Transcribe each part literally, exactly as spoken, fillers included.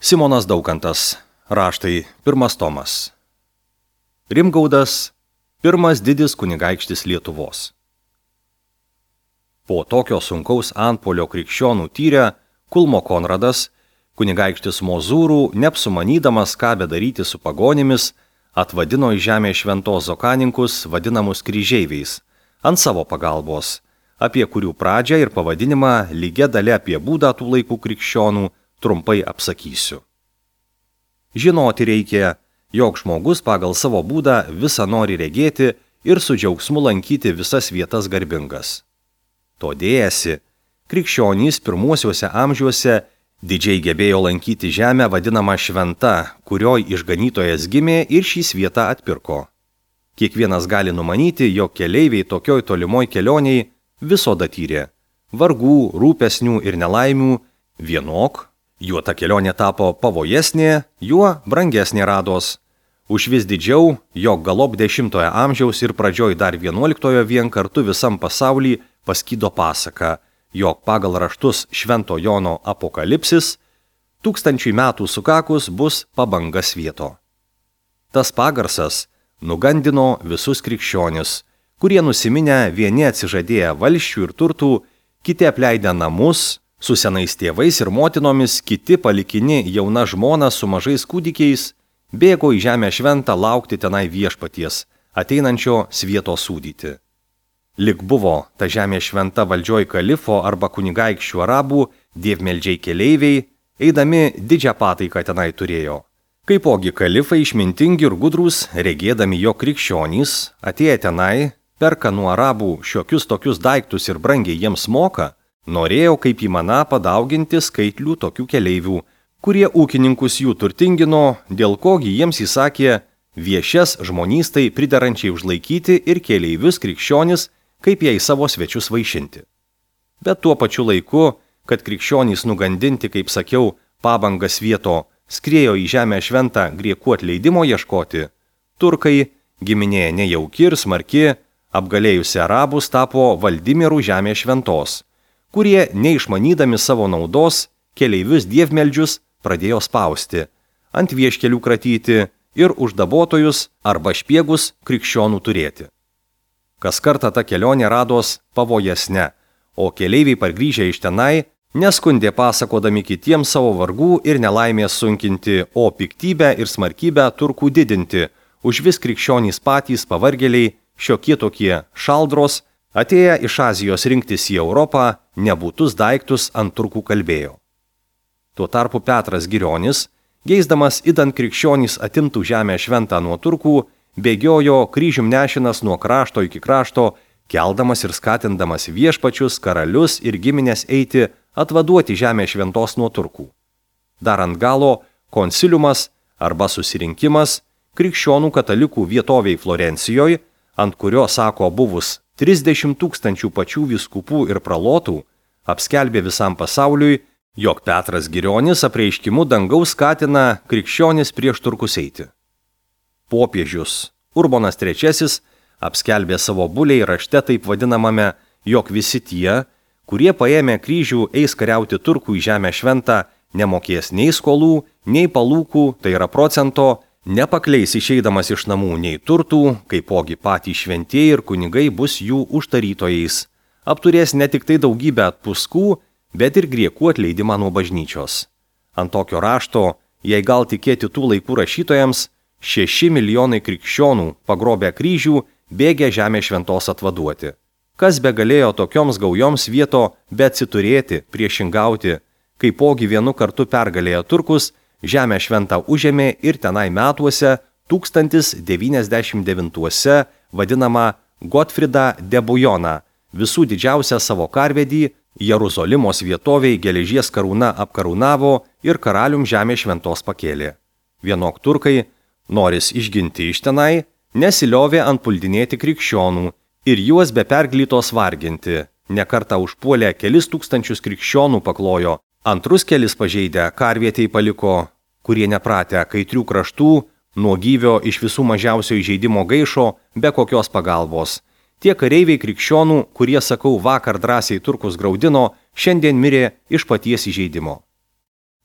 Simonas Daukantas. Raštai. Pirmas tomas. Rimgaudas. Pirmas didis kunigaikštis Lietuvos. Po tokio sunkaus antpuolio krikščionų tyrę, Kulmo Konradas, kunigaikštis Mozūrų, neapsumanydamas ką bedaryti su pagonimis, atvadino į žemę šventos zokaninkus, vadinamus kryžeiviais, ant savo pagalbos, apie kurių pradžią ir pavadinimą lygia dalia apie būdą tų laikų krikščionų trumpai apsakysiu. Žinoti reikia, jog žmogus pagal savo būdą visą nori regėti ir su džiaugsmu lankyti visas vietas garbingas. To dėjasi, krikščionys pirmuosiuose amžiuose didžiai gebėjo lankyti žemę vadinamą šventa, kurioj išganytojas gimė ir šį svietą atpirko. Kiekvienas gali numanyti, jog keleiviai tokioj tolimoj kelioniai visoda tyrė vargų, rūpesnių ir nelaimių vienok, juo ta kelionė tapo pavojesnė, juo brangesnė rados. Už vis didžiau, jog galop dešimtojo amžiaus ir pradžioj dar vienuoliktojo vien kartu visam pasauly paskydo pasaka, jog pagal raštus Švento Jono apokalipsis, tūkstančiui metų sukakus bus pabanga svieto. Tas pagarsas nugandino visus krikščionis, kurie nusiminę vieni atsižadėję valsčių ir turtų, kiti apleidę namus, su senais tėvais ir motinomis, kiti palikini jauna žmona su mažais kūdikiais, bėgo į žemę šventą laukti tenai viešpaties, ateinančio svieto sūdyti. Lik buvo ta žemė šventa valdžioj kalifo arba kunigaikščių arabų, dievmeldžiai keleiviai, eidami didžią pataiką tenai turėjo. Kaipogi kalifai išmintingi ir gudrūs, regėdami jo krikščionys, atėję tenai, perka nuo arabų šiokius tokius daiktus ir brangiai jiems moka, norėjo kaip įmana padauginti skaitlių tokių keleivių, kurie ūkininkus jų turtingino, dėl kogi jiems įsakė viešias žmonystai priderančiai užlaikyti ir keleivius krikščionis, kaip jai savo svečius vaišinti. Bet tuo pačiu laiku, kad krikščionys nugandinti, kaip sakiau, pabangas vieto, skriejo į žemę šventą griekų atleidimo ieškoti, turkai, giminė nejauki ir smarki, apgalėjusi arabus tapo valdymirų žemė šventos, kurie, neišmanydami savo naudos, keleivius dievmeldžius pradėjo spausti, ant vieškelių kratyti ir uždabotojus arba špiegus krikščionų turėti. Kas kartą ta kelionė rados pavojesne, o keleiviai pargrįžę iš tenai neskundė pasakodami kitiems savo vargų ir nelaimės sunkinti, o piktybę ir smarkybę turkų didinti, už vis krikščionys patys pavargėliai, šiokie tokie šaldros, atėję iš Azijos rinktis į Europą, nebūtus daiktus ant turkų kalbėjo. Tuo tarpu Petras Girionis, geisdamas idant krikščionys atimtų žemę šventą nuo turkų, bėgiojo kryžium nešinas nuo krašto iki krašto, keldamas ir skatindamas viešpačius, karalius ir giminės eiti atvaduoti žemę šventos nuo turkų. Dar ant galo konsiliumas arba susirinkimas krikščionų katalikų vietoviai Florencijoje, ant kurio, sako, buvus trisdešimt tūkstančių pačių vyskupų ir pralotų, apskelbė visam pasauliui, jog Petras Girionis apreiškimu dangaus skatina krikščionis prieš turkus eiti. Popiežius Urbonas trečiasis apskelbė savo buliai rašte taip vadinamame, jog visi tie, kurie paėmė kryžių eis kariauti turkų į žemę šventą, nemokės nei skolų, nei palūkų, tai yra procento, nepakleis išeidamas iš namų nei turtų, kaipogi patys šventieji ir kunigai bus jų užtarytojais, apturės ne tik tai daugybę atpuskų, bet ir griekų atleidimą nuo bažnyčios. Ant tokio rašto, jei gal tikėti tų laikų rašytojams, šeši milijonai krikščionų pagrobę kryžių bėgė žemę šventos atvaduoti. Kas be galėjo tokioms gaujoms vieto bet atsiturėti, priešingauti, kaipogi vienu kartu pergalėjo turkus, žemę šventą užėmė ir tenai metuose tūkstantis devyniasdešimt devintuose vadinama Gotfrida de Bujoną, visų didžiausią savo karvedį, Jeruzalimos vietoviai geležies karūna apkarūnavo ir karalium žemė šventos pakėlė. Vienok turkai, noris išginti iš tenai, nesiliovė antpuldinėti krikščionų ir juos be perglytos varginti, nekartą užpuolė kelis tūkstančius krikščionų paklojo, antrus kelis pažeidę karvietei paliko, kurie nepratę kaitrių kraštų, nuo gyvio iš visų mažiausio įžeidimo gaišo, be kokios pagalbos. Tie kareiviai krikščionų, kurie, sakau, vakar drąsiai turkus graudino, šiandien mirė iš paties įžeidimo.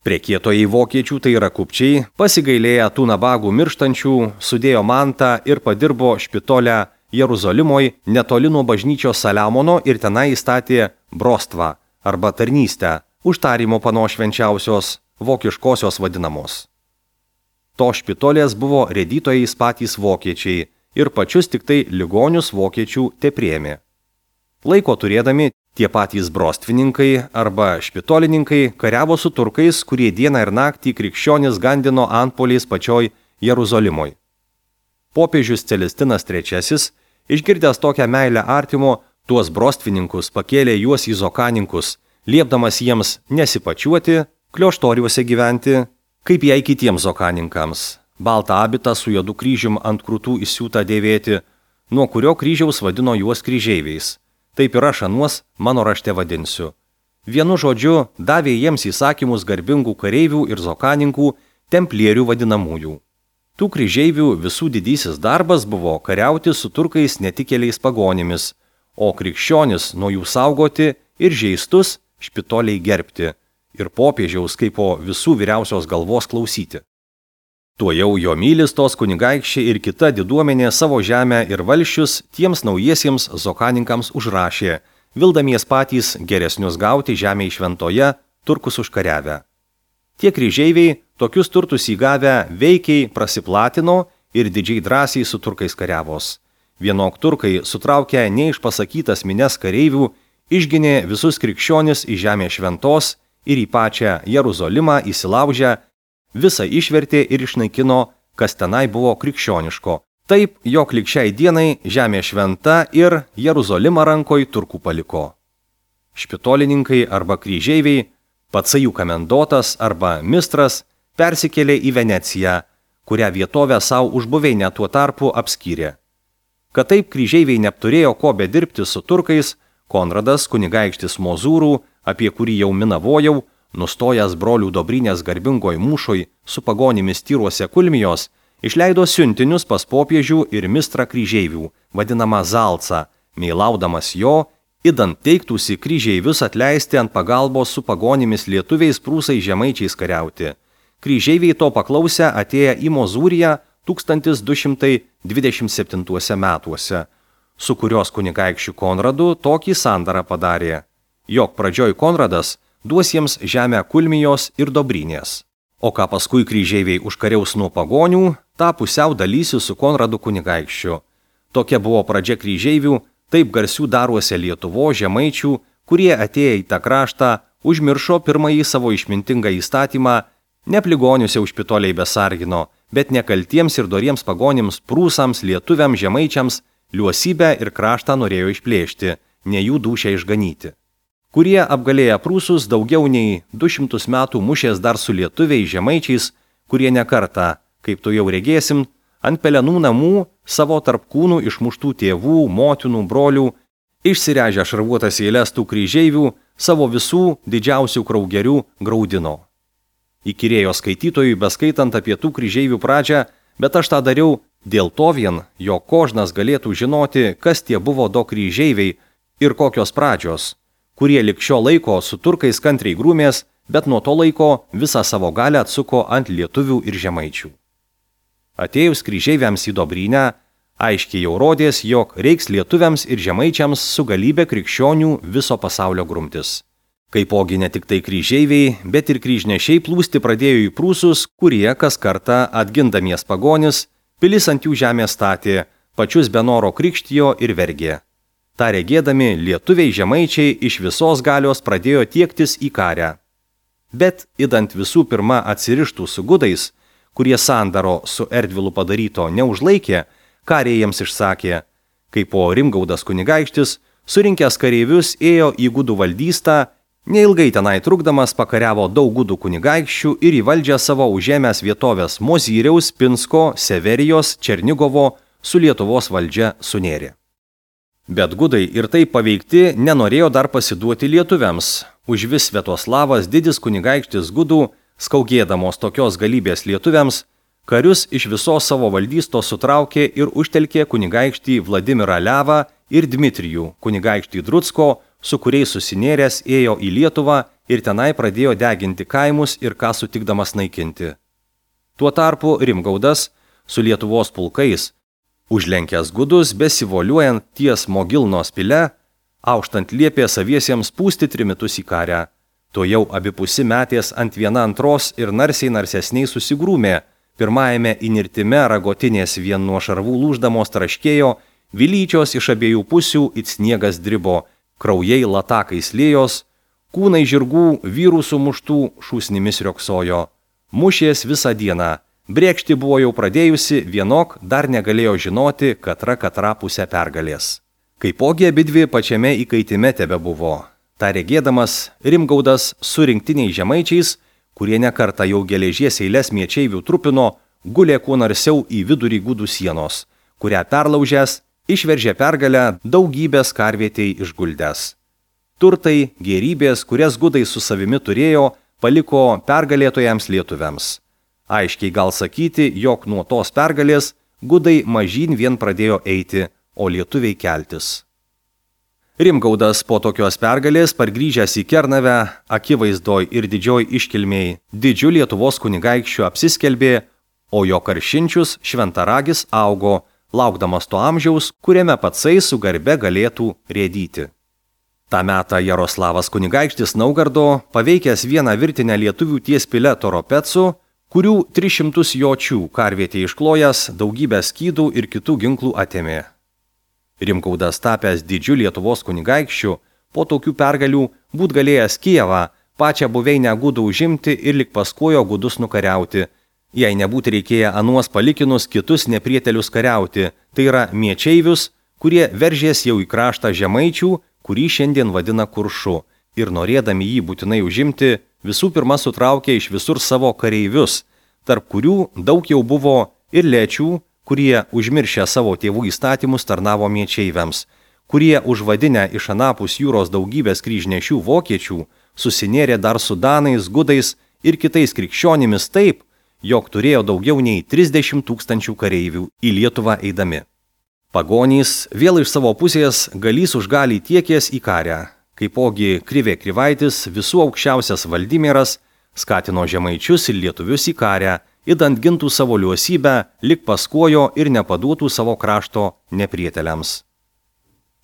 Prekietojai vokiečių, tai yra kupčiai, pasigailėję tų nabagų mirštančių, sudėjo mantą ir padirbo Špitolę Jeruzalimoje netoli nuo bažnyčios Saliamono ir tenai įstatė brostvą arba tarnystę, užtarimo panos švenčiausios, vokiškosios vadinamos. To Špitolės buvo rėdytojais patys vokiečiai ir pačius tik tai ligonius vokiečių tepriėmė. Laiko turėdami, tie patys brostvininkai arba špitolininkai kariavo su turkais, kurie dieną ir naktį krikščionis gandino antpoliais pačioj Jeruzalimoje. Popiežius Celestinas trečiasis, išgirdęs tokią meilę artimo, tuos brostvininkus pakėlė juos į zokaninkus, liepdamas jiems nesipačiuoti, klioštoriuose gyventi, kaip jai kitiems zokaninkams, baltą abitą su juodu kryžium ant krūtų įsiūtą dėvėti, nuo kurio kryžiaus vadino juos kryžeiviais. Taip ir aš anuos mano rašte vadinsiu. Vienu žodžiu, davė jiems įsakymus garbingų kareivių ir zokaninkų, templierių vadinamųjų. Tų kryžeivių visų didysis darbas buvo kariauti su turkais netikėliais pagonimis, o krikščionis nuo jų saugoti ir žeistus Špitoliai gerbti ir popiežiaus kaip po visų vyriausios galvos klausyti. Tuojau jo mylis tos kunigaikščiai ir kita diduomenė savo žemę ir valsčius tiems naujiesiems zokaninkams užrašė, vildamies patys geresnius gauti žemėje šventoje, turkus užkariavę. Tie kryžeiviai, tokius turtus įgavę, veikiai prasiplatino ir didžiai drąsiai su turkais kariavos. Vienok turkai, sutraukę neišpasakytas mines kareivių, išginė visus krikščionis į žemę šventos ir į pačią Jeruzalimą įsilaužę, visą išvertė ir išnaikino, kas tenai buvo krikščioniško. Taip, jog lig šiai dienai žemė šventa ir Jeruzalimą rankoj turkų paliko. Špitolininkai arba kryžeiviai, patsajų kamendotas arba mistras persikėlė į Veneciją, kurią vietovę savo užbuveinę tuo tarpu apskyrė. Kad taip kryžeiviai neapturėjo ko bedirbti su turkais, Konradas kunigaikštis Mozūrų, apie kurį jau minavojau, nustojęs brolių Dobrynės garbingoj mūšoj su pagonimis Tyruose Kulmijos, išleido siuntinius pas popiežių ir mistrą kryžeivių, vadinamą Zalcą, meilaudamas jo, idant teiktųsi kryžeivius atleisti ant pagalbos su pagonimis lietuviais prūsai žemaičiais kariauti. Kryžeiviai to paklausę atėję į Mozūriją tūkstantis du šimtai dvidešimt septintuose metuose, su kurios kunigaikščiu Konradu tokį sandarą padarė, jog pradžioj Konradas duos jiems žemę Kulmijos ir Dobrynės. O ką paskui kryžeiviai užkariaus nuo pagonių, tą pusiau dalysi su Konradu kunigaikščiu. Tokia buvo pradžia kryžeivių, taip garsių daruose Lietuvo žemaičių, kurie atėję į tą kraštą, užmiršo pirmąjį savo išmintingą įstatymą, ne pligonius jau Špitoliai besargino, bet nekaltiems ir doriems pagonims prūsams, lietuviams, žemaičiams, liuosybę ir kraštą norėjo išplėšti, ne jų dūšią išganyti. Kurie apgalėję prūsus daugiau nei du šimtus metų mušės dar su lietuviais žemaičiais, kurie nekartą, kaip tu jau regėsim, ant pelenų namų savo tarp kūnų išmuštų tėvų, motinų, brolių, išsirežę šarvuotas eiles tų kryžeivių, savo visų didžiausių kraugerių graudino. Įkyrėjo skaitytojui beskaitant apie tų kryžeivių pradžią, bet aš tą dariau dėl to vien, jog kožnas galėtų žinoti, kas tie buvo do kryžeiviai ir kokios pradžios, kurie lig šio laiko su turkais kantriai grūmės, bet nuo to laiko visą savo galę atsuko ant lietuvių ir žemaičių. Atėjus kryžeiviams į Dobrynę, aiškiai jau rodės, jog reiks lietuviams ir žemaičiams su galybė krikščionių viso pasaulio grumtis. Kaipogi ne tik tai kryžeiviai, bet ir kryžnešiai plūsti pradėjo į prūsus, kurie kas kartą atgindamies pagonis, pilis ant jų žemę statė, pačius be noro krikštijo ir vergė. Ta regėdami, lietuviai žemaičiai iš visos galios pradėjo tiektis į karę. Bet, idant visų pirma atsirištų su gudais, kurie sandaro su Erdvilu padaryto neužlaikė, kariai jiems išsakė, kai po Rimgaudas kunigaikštis, surinkęs kareivius ėjo į gudų valdystą, neilgai tenai trukdamas pakariavo daug gudų kunigaikščių ir į valdžią savo užėmęs vietovės Mozyriaus, Pinsko, Severijos, Černigovo su Lietuvos valdžia sunėrė. Bet gudai ir taip paveikti nenorėjo dar pasiduoti lietuviams. Užvis Sviatoslavas didis kunigaikštis gudų, skaugėdamos tokios galybės lietuviams, karius iš visos savo valdystos sutraukė ir užtelkė kunigaikštį Vladimirą Levą ir Dmitrijų, kunigaikštį Drutsko, su kuriais susinėręs ėjo į Lietuvą ir tenai pradėjo deginti kaimus ir ką sutikdamas naikinti. Tuo tarpu Rimgaudas su Lietuvos pulkais, užlenkęs gudus, besivoliuojant ties Mogilnos pile, auštant liepė saviesiems pūsti trimitus į karę. To jau abipusi metės ant viena antros ir narsiai narsesniai susigrūmė, pirmajame įnirtime ragotinės vien nuo šarvų lūždamos traškėjo, vilyčios iš abiejų pusių it sniegas dribo, kraujai latakais liejos, kūnai žirgų vyrų sumuštų šūsnimis rioksojo. Mušės visą dieną, brėkšti buvo jau pradėjusi, vienok dar negalėjo žinoti, katra katra pusę pergalės. Kaipogi abidvi pačiame įkaitime tebe buvo. Ta regėdamas, Rimgaudas su rinktiniais žemaičiais, kurie nekartą jau geležies eilės miečeivių trupino, gulė kuo narsiau į vidurį gudų sienos, kurią perlaužęs, išveržė pergalę daugybės karvietei išguldęs. Turtai, gėrybės, kurias gudai su savimi turėjo, paliko pergalėtojams lietuviams. Aiškiai gal sakyti, jog nuo tos pergalės gudai mažyn vien pradėjo eiti, o lietuviai keltis. Rimgaudas po tokios pergalės pargrįžęs į Kernavę, akivaizdoj ir didžioj iškilmiai, didžiu Lietuvos kunigaikščiu apsiskelbė, o jo karšinčius šventaragis augo, laukdamas to amžiaus, kuriame patsai su garbe galėtų rėdyti. Ta metą Jaroslavas kunigaikštis Naugardo, paveikęs vieną virtinę lietuvių ties pile Toropecų, kurių tris šimtus jočių karvietė išklojęs, daugybę skydų ir kitų ginklų atėmė. Rimgaudas tapęs didžiu Lietuvos kunigaikščiu, po tokių pergalių būt galėjęs Kijevą, pačią buveinę gudų užimti ir lik paskojo gudus nukariauti, jei nebūt reikėję anuos palikinus kitus neprietelius kariauti, tai yra miečeivius, kurie veržės jau į kraštą žemaičių, kurį šiandien vadina Kuršu, ir norėdami jį būtinai užimti, visų pirma sutraukė iš visur savo kareivius, tarp kurių daug jau buvo ir lečių, kurie užmiršę savo tėvų įstatymus tarnavo miečeiviams, kurie užvadinę iš anapus jūros daugybės kryžnešių vokiečių, susinėrė dar su danais, gudais ir kitais krikščionimis taip, jog turėjo daugiau nei trisdešimt tūkstančių kareivių į Lietuvą eidami. Pagonys vėl iš savo pusės galys už galį tiekės į karę, kaipogi Krivė Krivaitis, visų aukščiausias Valdimieras, skatino žemaičius ir lietuvius į karę, idant gintų savo liuosybę, lik paskojo ir nepaduotų savo krašto neprieteliams.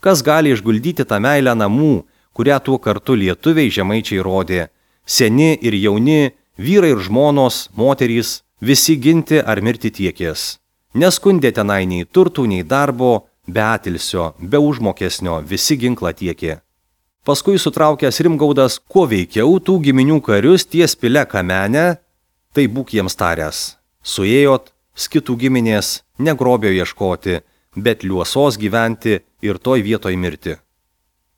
Kas gali išguldyti tą meilę namų, kurią tuo kartu lietuviai žemaičiai rodė? Seni ir jauni, vyrai ir žmonos, moterys, visi ginti ar mirti tiekės. Neskundė tenai nei turtų, nei darbo, be atilsio, be užmokesnio, visi ginklą tiekė. Paskui sutraukęs Rimgaudas, kuo veikiau tų giminių karius ties pile Kamenę, tai būk jiems taręs. Suėjot, skitų giminės, ne grobio ieškoti, bet liuosos gyventi ir toj vietoj mirti.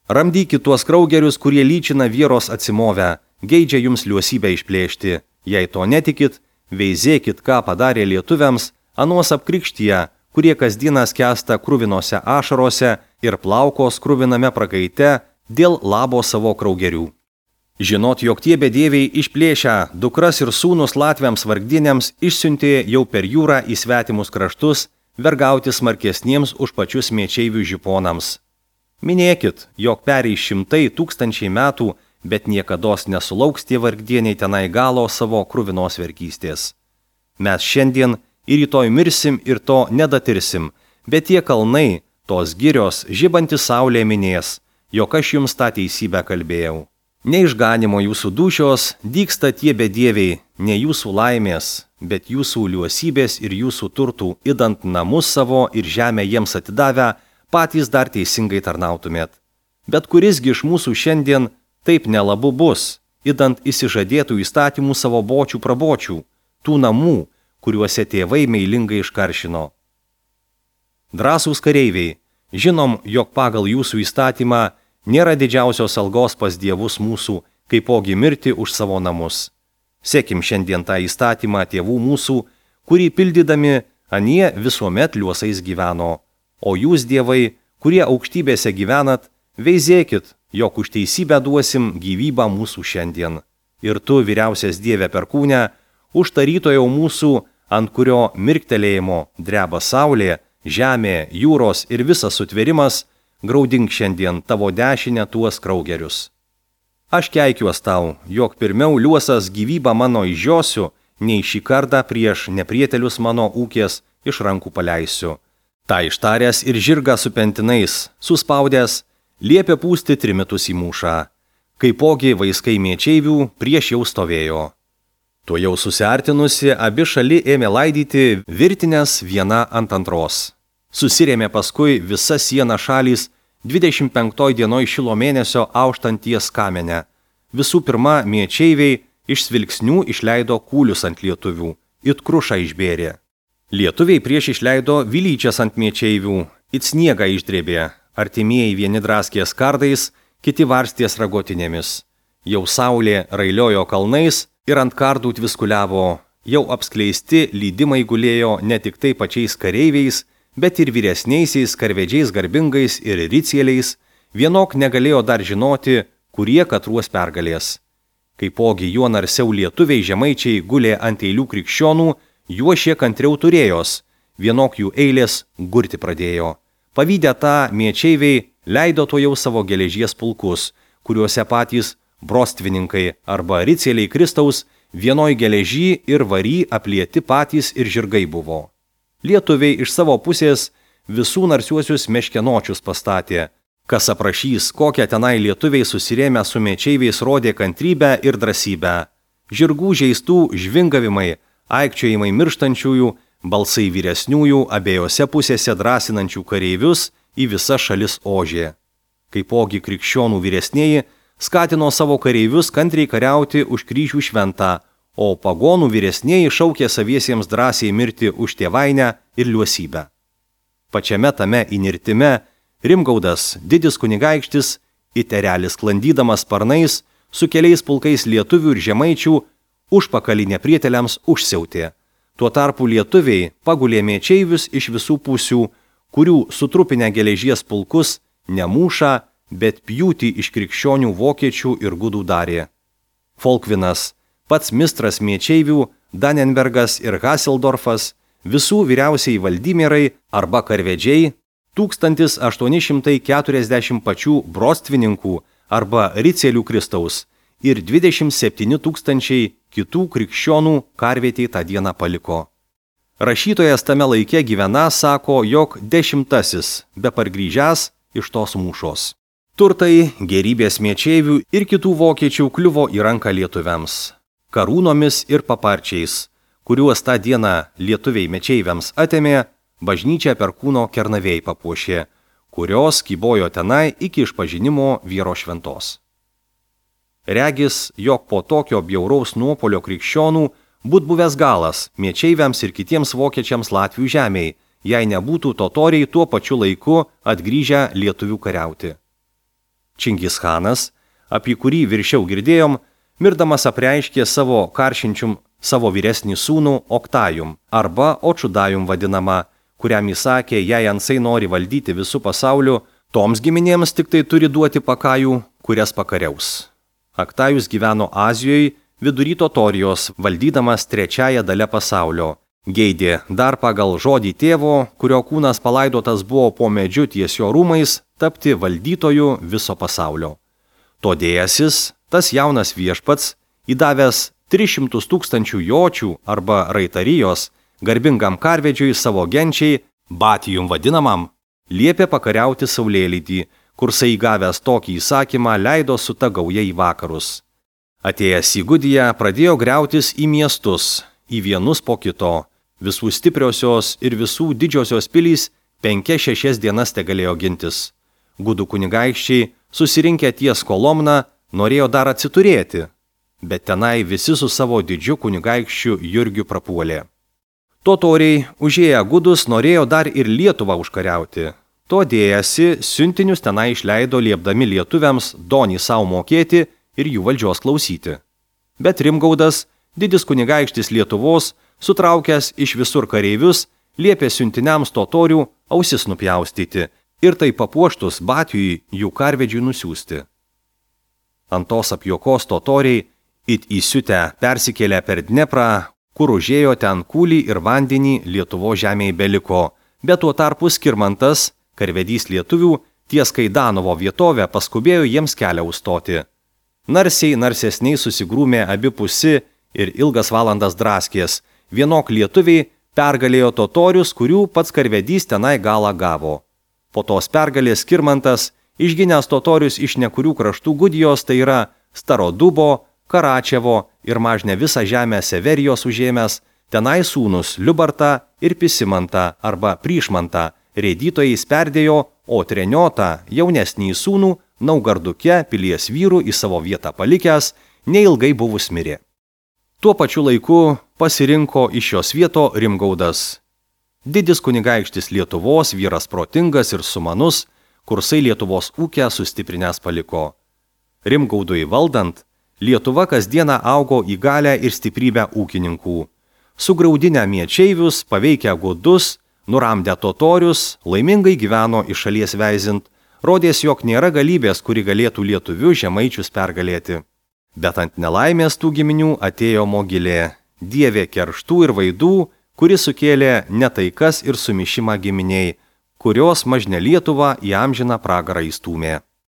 Ramdykit tuos kraugerius, kurie lyčina vieros atsimovę, geidžia jums liuosybę išplėšti. Jei to netikit, veizėkit, ką padarė lietuviams, anuos apkrikštyje, kurie kasdieną skęsta kruvinose ašarose ir plaukos kruviname prakaite dėl labo savo kraugerių. Žinot, jog tie bedieviai išplėšę dukras ir sūnus latviams vargdieniams išsiuntė jau per jūrą į svetimus kraštus, vergauti smarkesniems už pačius miečeivių žiponams. Minėkit, jog pereis šimtai tūkstančiai metų, bet niekados nesulauks tie vargdieniai tenai galo savo kruvinos vergystės. Mes šiandien ir rytoj mirsim ir to nedatirsim, bet tie kalnai, tos girios, žibanti saulė minės, jog aš jums tą teisybę kalbėjau. Neišganimo jūsų dūšios dygsta tie bedieviai, ne jūsų laimės, bet jūsų liuosybės ir jūsų turtų, idant namus savo ir žemę jiems atidavę, patys dar teisingai tarnautumėt. Bet kurisgi iš mūsų šiandien taip nelabu bus, idant įsižadėtų įstatymų savo bočių prabočių, tų namų, kuriuose tėvai meilingai iškaršino. Drąsūs kareiviai, žinom, jog pagal jūsų įstatymą nėra didžiausios algos pas dievus mūsų, kaipogi mirti už savo namus. Sekim šiandien tą įstatymą tėvų mūsų, kurį pildydami anie visuomet liuosais gyveno. O jūs, dievai, kurie aukštybėse gyvenat, veizėkit, jog už teisybę duosim gyvybę mūsų šiandien. Ir tu, vyriausias Dieve perkūne, už tarytojo mūsų, ant kurio mirktelėjimo dreba saulė, žemė, jūros ir visas sutvėrimas, graudink šiandien tavo dešinę tuos kraugerius. Aš keikiuos tau, jog pirmiau liuosas gyvybą mano išžiosiu, nei šį kartą prieš neprietelius mano ūkės iš rankų paleisiu. Ta ištaręs ir žirgą su pentinais, suspaudęs, liepė pūsti trimitus į mūšą. Kaipogi vaiskai mėčeivių prieš jau stovėjo. Tuo jau susiartinusi, abi šali ėmė laidyti virtinės viena ant antros. Susirėmė paskui visa siena šalys dvidešimt penktoj dienoj šilo mėnesio auštant ties kamenę. Visų pirma, mėčeiviai iš svilksnių išleido kūlius ant lietuvių, it krušą išbėrė. Lietuviai prieš išleido vilyčias ant mėčeivių, it sniegą išdrėbė, artimieji vieni draskės kardais, kiti varstės ragotinėmis. Jau saulė railiojo kalnais ir ant kardų tviskuliavo, jau apskleisti lydimai gulėjo ne tik tai pačiais kareiviais, bet ir vyresniaisiais karvedžiais garbingais ir ricieliais, vienok negalėjo dar žinoti, kurie katruos pergalės. Kaipogi juo narsiau lietuviai žemaičiai gulė ant eilių krikščionų, juo šie kantriau turėjos, vienok jų eilės gurti pradėjo. Pavydę tą mėčeiviai leido to jau savo geležies pulkus, kuriuose patys brostvininkai arba ricieliai Kristaus vienoj geležy ir vary aplieti patys ir žirgai buvo. Lietuviai iš savo pusės visų narsiuosius meškenočius pastatė. Kas aprašys, kokią tenai lietuviai susirėmę su mėčeiviais rodė kantrybę ir drąsybę. Žirgų žeistų žvingavimai, aikčiojimai mirštančiųjų, balsai vyresniųjų abiejose pusėse drąsinančių kareivius į visas šalis ožė. Kaipogi krikščionų vyresnieji skatino savo kareivius kantriai kariauti už kryžių šventą, o pagonų vyresnieji šaukė saviesiems drąsiai mirti už tėvainę ir liuosybę. Pačiame tame įnirtime Rimgaudas, didis kunigaikštis, it erelis sklandydamas sparnais, su keliais pulkais lietuvių ir žemaičių, užpakalį neprieteliams užsiautė. Tuo tarpu lietuviai pagulė mėčeivius iš visų pusių, kurių sutrupinę geležies pulkus ne mūšą, bet pjūtį iš krikščionių vokiečių ir gudų darė. Folkvinas, pats mistras mėčeivių, Danenbergas ir Haseldorfas, visų vyriausiai valdymierai arba karvedžiai, tūkstantis aštuoni šimtai keturiasdešimt pačių brostvininkų arba ricielių Kristaus ir dvidešimt septyni tūkstančiai kitų krikščionų karvietei tą dieną paliko. Rašytojas tame laike gyvena sako, jog dešimtasis be pargrįžęs iš tos mūšos. Turtai, gerybės mėčeivių ir kitų vokiečių kliuvo į ranką lietuviams. Karūnomis ir paparčiais, kuriuos tą dieną lietuviai mečeiviams atėmė, bažnyčią Perkūno Kernavėj papuošė, kurios kybojo tenai iki išpažinimo vyro šventos. Regis, jog po tokio bjauraus nuopolio krikščionų būt buvęs galas mečeiviams ir kitiems vokiečiams Latvių žemėj, jei nebūtų totoriai tuo pačiu laiku atgrįžę lietuvių kariauti. Čingischanas, apie kurį viršiau girdėjom, mirdamas apreiškė savo karšinčium savo vyresnį sūnų Oktajum arba Očudajum vadinamą, kuriam įsakė, jei ansai nori valdyti visų pasauliu, toms giminėms tik tai turi duoti pakajų, kurias pakariaus. Oktajus gyveno Azijoje, vidury Totorijos, valdydamas trečiąją dalę pasaulio. Geidė dar pagal žodį tėvo, kurio kūnas palaidotas buvo po medžiu ties jo rūmais, tapti valdytoju viso pasaulio. Todėjasis, tas jaunas viešpats, įdavęs tris šimtus tūkstančių jočių arba raitarijos, garbingam karvedžiui savo genčiai, Batijum vadinamam, liepė pakariauti saulėlydį, kur saigavęs tokį įsakymą leido su ta gauja į vakarus. Atėjęs į Gudiją pradėjo griautis į miestus, į vienus po kito. Visų stipriosios ir visų didžiosios pilys penkias šešias dienas tegalėjo gintis. Gudų kunigaikščiai, susirinkę ties Kolomna, norėjo dar atsiturėti, bet tenai visi su savo didžiu kunigaikščiu Jurgiu prapuolė. Totoriai, užėję gudus, norėjo dar ir Lietuvą užkariauti. Todėjasi, siuntinius tenai išleido liepdami lietuviams donį savo mokėti ir jų valdžios klausyti. Bet Rimgaudas, didis kunigaikštis Lietuvos, sutraukęs iš visur kareivius, liepė siuntiniams totorių ausis nupjaustyti ir tai papuoštus Batijui jų karvedžiui nusiųsti. Ant tos apjuokos totoriai, it įsiutę persikėlė per Dneprą, kur užėjo ten kūlį ir vandenį Lietuvo žemėje beliko, bet tuo tarpu Skirmantas, karvedys lietuvių, ties Kaidanovo vietovę paskubėjo jiems kelią užstoti. Narsiai narsesniai susigrūmė abipusi ir ilgas valandas draskės. Vienok lietuviai pergalėjo totorius, kurių pats karvedys tenai galą gavo. Po tos pergalės Skirmantas, išginęs totorius iš nekurių kraštų Gudijos, tai yra Starodubo, Karačevo ir mažne visą žemę Severijos užėmęs, tenai sūnus Liubartą ir Pisimantą arba Pryšmantą rėdytojais perdėjo, o Treniotą, jaunesnį sūnų, Naugarduke pilies vyrų į savo vietą palikęs, neilgai buvus mirė. Tuo pačiu laiku pasirinko iš šios vieto Rimgaudas. Didis kunigaikštis Lietuvos, vyras protingas ir sumanus, kursai Lietuvos ūkę sustiprinęs paliko. Rimgaudui valdant, Lietuva kasdieną augo į galę ir stiprybę ūkininkų. Sugraudinę miečeivius, paveikę gudus, nuramdę totorius, laimingai gyveno iš šalies veizint, rodės, jog nėra galybės, kuri galėtų lietuvių žemaičius pergalėti. Bet ant nelaimės tų giminių atėjo mogilė, dievė kerštų ir vaidų, kuri sukėlė netaikas ir sumišimą giminiai, kurios mažne Lietuvą į amžiną pragarą įstūmė.